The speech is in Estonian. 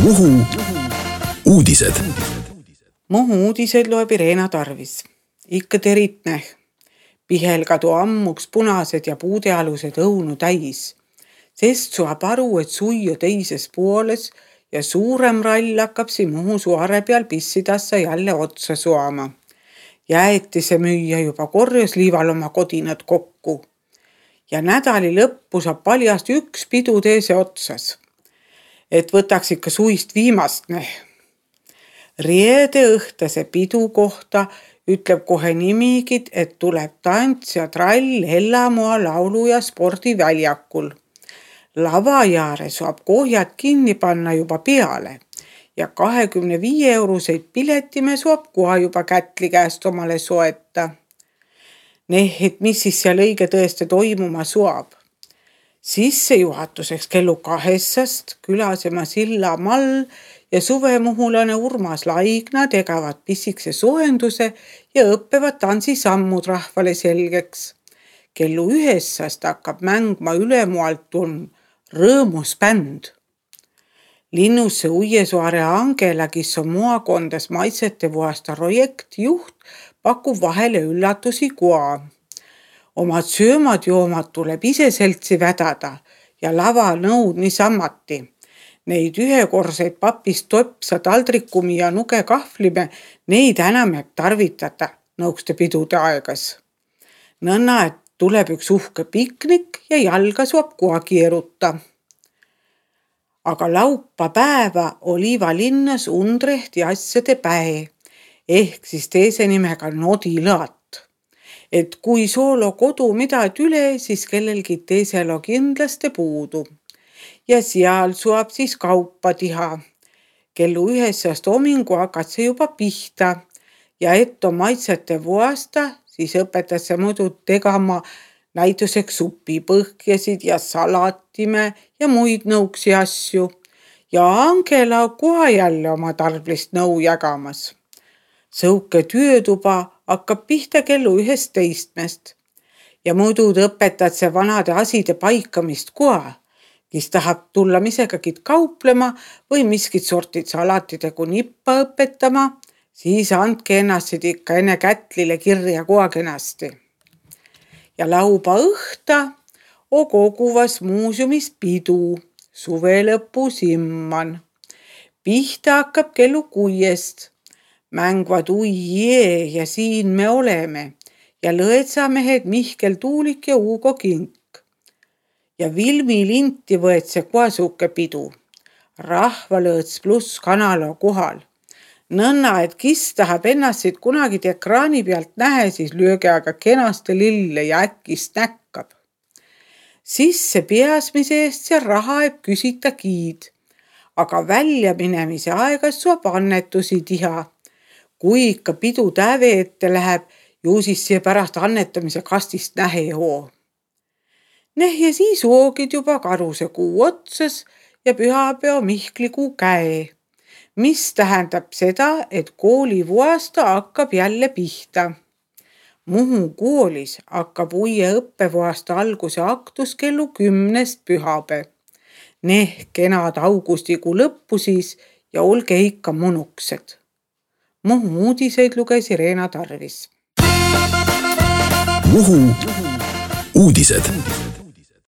Muhu uudised. Muhu uudised loeb Irena Tarvis. Ikka teritneh. Pihelkadu ammuks punased ja puudealused õunu täis. Sest saab aru, et suiu teises pooles ja suurem rall hakkab Muhu suare peal pissidassa jälle otsa suama. Jäetise müüja juba korjas liival oma kodinad kokku. Ja nädali lõppu saab paljast üks pidu teise otsas. Et võtaks ikka suist viimast neh. Reede õhtase pidu kohta ütleb kohe nimigid, et tuleb tants ja trall Hellamoa laulu- ja spordiväljakul. Lava jaare saab kohjad kinni panna juba peale ja 25-euroseid piletime saab koha juba kätli käest omale soeta. Et mis siis seal õige tõeste toimuma saab? Sissejuhatuseks kellu 2 külasema Silla Mall ja suvemuhulane Urmas Laigna tegavad pissikse soojenduse ja õppevad tansisammud rahvale selgeks. Kellu 1 hakkab mängma Ülemualt rõõmus bänd. Linnusse Uiesaare Angela, kes on moakondas maitsete vuasta projektjuht, pakub vahele üllatusi koa. Omad söömad-joomad tuleb ise seltsi vädada ja lavanõud niisammati. Neid ühekorseid papist topsa taldrikumi ja nuge kahvlime, neid enam jääb tarvitada nõukste pidude aegas. Nõnna, et tuleb üks uhke piknik ja jalga saab koha keeruta. Aga laupa päeva Oliva linnas Undrehti asjade päe, ehk siis teise nimega Nodilõat. Et kui soolo kodu midad üle, siis kellelgi teisel on kindlasti puudu. Ja seal saab siis kaupa tiha. Kellu 1 homingu hakkad see juba pihta ja et on maitsete vuasta, siis õpetad see muidu tegama näituseks supipõhjasid ja salatime ja muid nõuksi asju. Ja Angela koha jälle oma tarblist nõu jagamas. Sõuke töötuba hakkab pihta kellu 11 ja muidu õpetad see vanade aside paikamist koha, kes tahab tulla misegagi kauplema või miskit sortid salatidega nippa õpetama, siis andke ennast ikka enne kätlile kirja koha kenasti. Ja lauba õhta on koguvas muuseumis pidu, suvelõpu simman. Pihta hakkab kellu 6. Mängvad Uie ja Siin me oleme ja lõetsamehed Mihkel Tuulik ja Ugo Kink. Ja Vilmi linti võetse koasuke pidu. Rahvalõõts pluss kanal on kohal. Nõnna, et kes tahab ennast kunagi ekraani pealt nähe, siis lööge aga kenaste lille ja äkkist näkkab. Sisse peasmise eest see raha eb küsita kiid, aga välja minemise aegas saab annetusi tiha. Kui ikka pidu täve ette läheb, ju siis see pärast annetamise kastist nähe hoo. Ja siis oogid juba karuse kuu otsas ja pühapeo Mihklikuu käe, mis tähendab seda, et kooli vuasta hakkab jälle pihta. Muhu koolis hakkab uie õppevuasta alguse aktus kellu 10 pühapäev. Kenad augustikuu lõppu siis ja olge ikka munuksed. Muhu uudiseid luges Irena Tarvis. Muhu uudised.